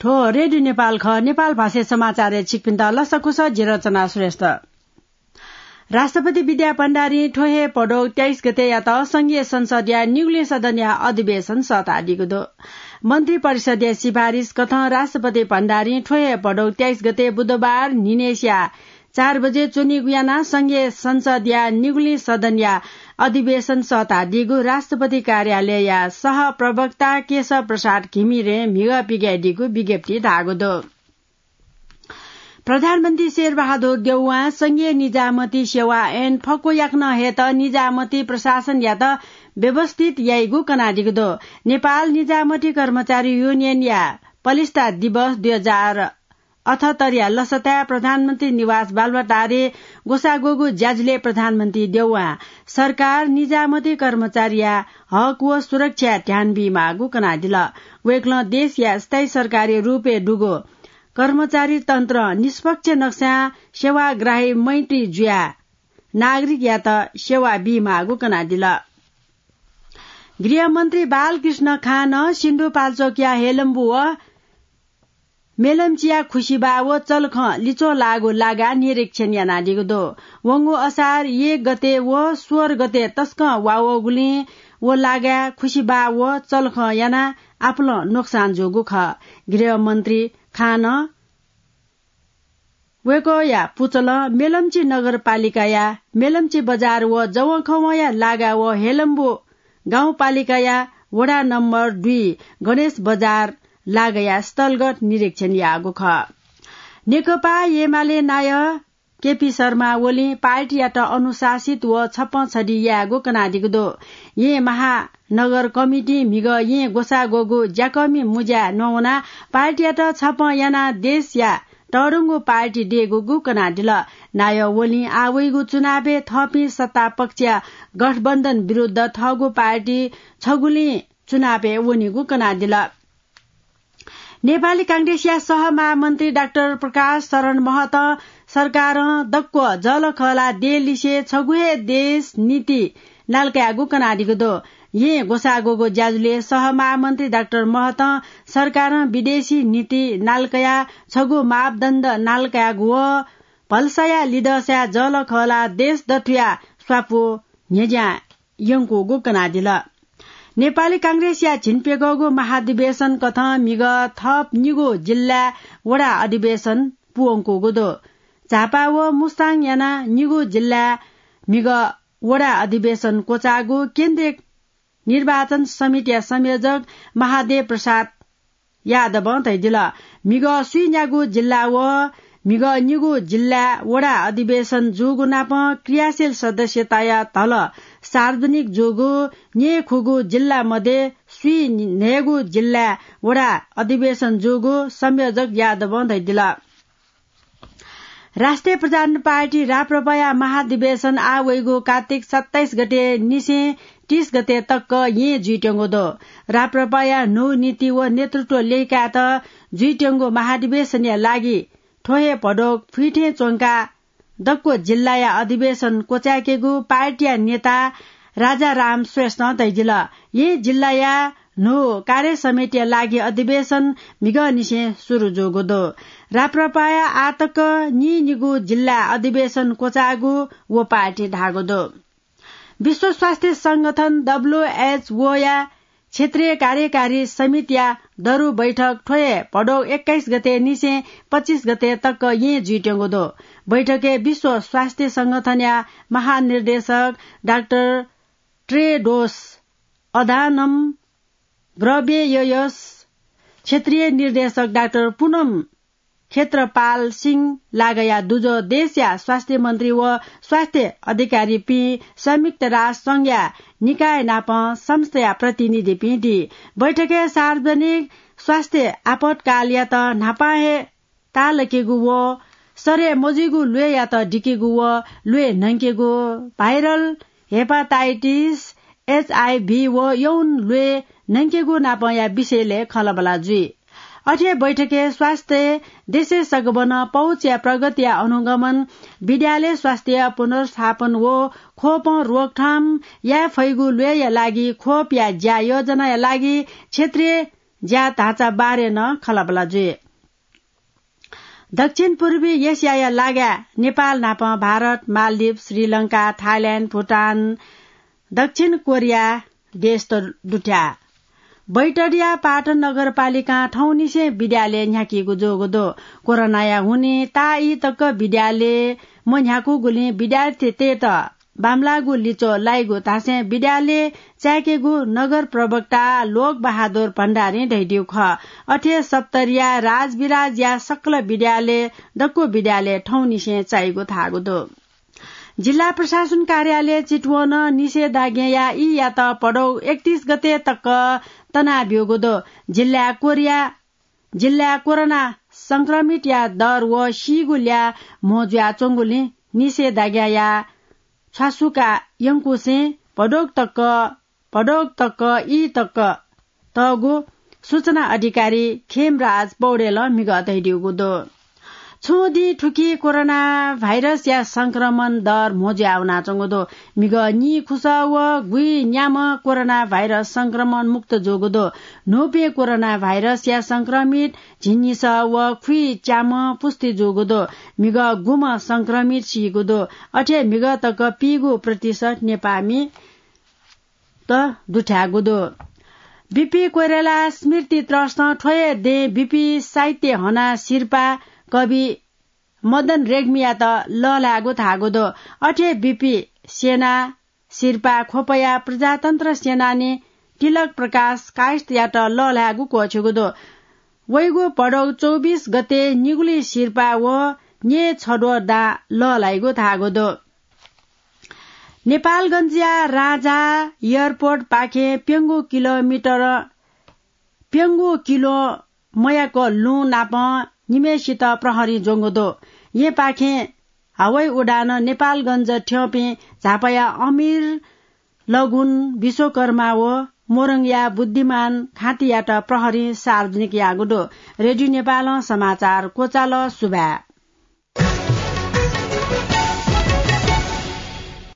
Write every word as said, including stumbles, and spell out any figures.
थ्व रेडियो नेपाल खः। नेपाल भाषा समाचारय् छिकपिन्त लसकुस, जि रचना श्रेष्ठ। राष्ट्रपति विद्या भण्डारीं थ्व हे भदौ तेइस गतेयात संघीय संसदया निगुलिं सदनया अधिवेशन सःतादीगु दु। मन्त्री परिषदया सिफारिस कथं राष्ट्रपति भण्डारीं थ्व हे भदौ तेइस गते बुधबार न्हिनेसिया चार बजे च्वनीगु यानाः संघीय संसदया निगुलिं सदनया अधिवेशन सःतादीगु राष्ट्रपति कार्यालयया सह प्रवक्ता केशव प्रसाद घिमिरें म्हिगः पिकायेदीगु विज्ञप्ति धाःगु दु। प्रधानमन्त्री शेरबहादुर देउवां संघीय निजामती सेवा ऐन फक्व याकनं हयेत निजामती प्रशासनयात व्यवस्थित याइगु कनादीगु दु। नेपाल निजामती कर्मचारी युनियनया पलिस्था दिवस दुई हजार अठहत्तरया लसताय् प्रधानमन्त्री निवास बालुवाटारय् ग्वसाः ग्वःगु ज्याझ्वलय् प्रधानमन्त्री देउवां सरकार निजामती कर्मचारीया हक व सुरक्षाय् ध्यान बीमाःगु कनादिल। वय्कलं देशया स्थायी सरकारी रूपय् दुगु कर्मचारी तन्त्र निष्पक्ष नक्सां सेवाग्राही मैत्री जुयाः नागरिकयात सेवा बीमाःगु कनादिल। गृहमन्त्री बालकृष्ण खानं सिन्धुपाल्चोकया हेलम्बु व मेलम्चीया खुसिबाः व चलखं लिच्वः लाःगु लागाय् निरीक्षण यानादीगु दु। वंगु असार एक गते व सोह्र गते तसकं वा वःगुलिं व लागाय् खुसिबाः व चलखं यानाः आपालं नोक्सान जूगु खः। गृहमन्त्री खानं वय्कःया पुचलं मेलम्ची नगरपालिकाया मेलम्ची बजार व जवंखवंया लागा व हेलम्बु गाउँपालिकाया वडा नम्बर दुई गणेश बजार लागाया स्थलगत निरीक्षण याःगु खः। नेकपा एमाले नायः केपी शर्मा ओलीं पार्टीयात अनुशासित व छप्पँ छधि यायेगु कनादीगु दु। येँ महानगर कमिटिं म्हिगः येँ ग्वसाः ग्वःगु ज्याकःमि मुँज्याय् नवानाः पार्टीयात छप्पँ यानाः देशया तःधंगु पार्टी दयेगु कनादिल। नायः ओलीं आः वइगु चुनावय् थःपिं सत्ता पक्षया गठबन्धन विरुद्ध थःगु पार्टी छगुलिं चुनावय् वनीगु कनादिल। नेपाली कांग्रेसया सहमहामन्त्री डाक्टर प्रकाश शरण महतं सरकारं दक्व जःलाखःला देलिसे छगू हे देश नीति नालाकायेगु कनादीगु दु। येँ ग्वसाः ग्वःगु ज्याझ्वलय् सहमहामन्त्री डाक्टर महतं सरकारं विदेशी नीति नालाकायाः छगू मापदण्ड नालाकायेगु व भलसाया लिधंसाय् जःलाखःला देश दथुया स्वापू न्ह्यज्यां यंकूगु कनादिल। नेपाली कांग्रेसया झिंप्यघौगु महाधिवेशन कथं म्हिगः थप निगू जिल्लाय् वडा अधिवेशन पूवंकूगु दु। झापा व मुस्ताङ यानाः निगू जिल्लाय् म्हिगः वडा अधिवेशन क्वचाःगु केन्द्रीय निर्वाचन समितिया संयोजक महादेव प्रसाद यादवं धयादिल। म्हिगः स्वीन्यागू जिल्ला व म्हिगः निगू जिल्लाय् वडा अधिवेशन जूगु नापं क्रियाशील सदस्यताया धलः सार्वजनिक जूगु, न्येखुगू जिल्ला मध्ये स्वीन्हय्गू जिल्लाय् वडा अधिवेशन जूगु संयोजक यादवं धयादिल। राष्ट्रिय प्रजातन्त्र पार्टी राप्रपाया महाधिवेशन आः वइगु कार्तिक सत्ताइस गते निसें तीस गते तक येँ जुइत्यंगु दु। राप्रपाया न्हू नीति व नेतृत्व ल्यय्कायेत जुइत्यंगु महाधिवेशनया लागि थ्व हे भदौ फुइथें च्वंकाः दक्व जिल्लाया अधिवेशन क्वचाय्केगु पार्टीया नेता राजाराम श्रेष्ठं धयादिल। येँ जिल्लाया न्हू कार्य समितिया लागि अधिवेशन म्हिगःनिसें सुरु जूगु दु। राप्रपाया आःतक नीनिगू जिल्लाय् अधिवेशन क्वचाःगु व पार्टीं धाःगु दु। विश्व स्वास्थ्य संगठन, डब्ल्यूएचओया क्षेत्रीय कार्यकारी समितिया दरु बैठक थ्व हे भदौ एक्काइस गते निसें पच्चिस गते तक येँ जुइत्यंगु दु। बैठकय् विश्व स्वास्थ्य संगठनया महानिर्देशक डाक्टर ट्रेडोस अधानम ग्रबेययस, क्षेत्रीय निर्देशक डाक्टर पुनम क्षेत्रपाल सिंह लागया दुजः देशया स्वास्थ्य मन्त्री व स्वास्थ्य अधिकारीपिं संयुक्त राष्ट्र संघया निकाय नाप संस्थाया प्रतिनिधिपिं दी। बैठकय् सार्वजनिक स्वास्थ्य आपतकालयात न्हापां हे ताःलाकेगु व सरे मजुइगु ल्वय्‌यात दिकेगु व ल्वय् न्हंकेगु, भाइरल हेपाटाइटिस, एचआइभी व यौन ल्वय् न्हंकेगु नापंया विषयलय् खँल्हाबल्हा जुइ। अथे बैठकय् स्वास्थ्य देशय् सकभनं पहुँचया प्रगतिया अनुगमन, विद्यालय स्वास्थ्य पुनर्स्थापन व ख्वपं रोकथाम याये फइगु ल्वय्‌या लागि ख्वपया ज्या योजनाया लागि क्षेत्रीय ज्या ढाँचा बारे नं खँल्हाबल्हा जुइ। दक्षिण पूर्वी एसियाया लागाय् नेपाल नाप भारत, मालदिव, श्रीलंका, थाइल्याण्ड, भुटान, दक्षिण कोरिया देश त दुथ्याः। बैतडिया पाटन नगरपालिकां थौंनिसें विद्यालय न्ह्याकीगु जूगु दु। कोरोनाया हुनिं ताःई तक विद्यालय मन्ह्याकूगुलिं विद्यार्थीतय्त बांमलाःगु लिच्वः लाइगु धासें विद्यालय चाय्केगु नगर प्रवक्ता लोक बहादुर भण्डारीं धयादीगु खः। अथे सप्तरीया राजविराजया सकल विद्यालय दक्व विद्यालय थौंनिसें चाइगु धाःगु दु। जिल्ला प्रशासन कार्यालय चितवनं निषेधाज्ञाया ईयात भदौ एकतीस गते तक तनाब्यूगु दु। जिल्लाय् कोरिया, जिल्लाय् कोरोना संक्रमितया दर व सीगु ल्याः म्हो जुयाच्वंगुलिं निषेधाज्ञाया छ्वासुका यंकुसें भदौ तक, भदौ तक ई तक तःगु सूचना अधिकारी खेमराज पौडेलं म्हिगः धयादीगु दु। छुं दिं थुकी कोरोना भाइरसया संक्रमण दर म्हो जुया वनाच्वंगु दु। म्हिगः नीखुसः व गुइन्याम्ह कोरोना भाइरस संक्रमण मुक्त जूगु दु। न्हूपिं कोरोना भाइरसया संक्रमित झिंनिसः व खुइच्याम्ह पुष्टि जूगु दु। म्हिगः गुम्ह संक्रमित सीगु दु। अथे म्हिगः तक पीगू प्रतिशत नेपाःमि त दुथ्याःगु दु। बिपी कोइराला स्मृति ट्रस्टं थ्व हे दँय् बिपी साहित्य हना सिरपाः कवि मदन रेग्मीयात लःल्हायेगु धाःगु दु। अथे बिपी सेना सिरपाः ख्वपया प्रजातन्त्र सेनानी तिलक प्रकाश कायस्थयात लःल्हायेगु क्वःछिगु दु। वइगु भदौ चौबिस गते निगुलिं सिरपाः व न्यय् छद्वः दां लःल्हाइगु धाःगु दु। नेपालगञ्जया राजा एयरपोर्टपाखें प्यंगू किलोमिटर, प्यंगू किलो मयाक लुँ नाप निम्हय्सित प्रहरीं ज्वंगु दु। येँपाखें हवाई उडानं नेपालगञ्ज थ्यंपिं झापाया अमीर लगुन विश्वकर्मा व मोरङया बुद्धिमान खाँतियात प्रहरीं सार्वजनिक याःगु दु। रेडियो नेपालं समाचार क्वचाल। सुभाय्।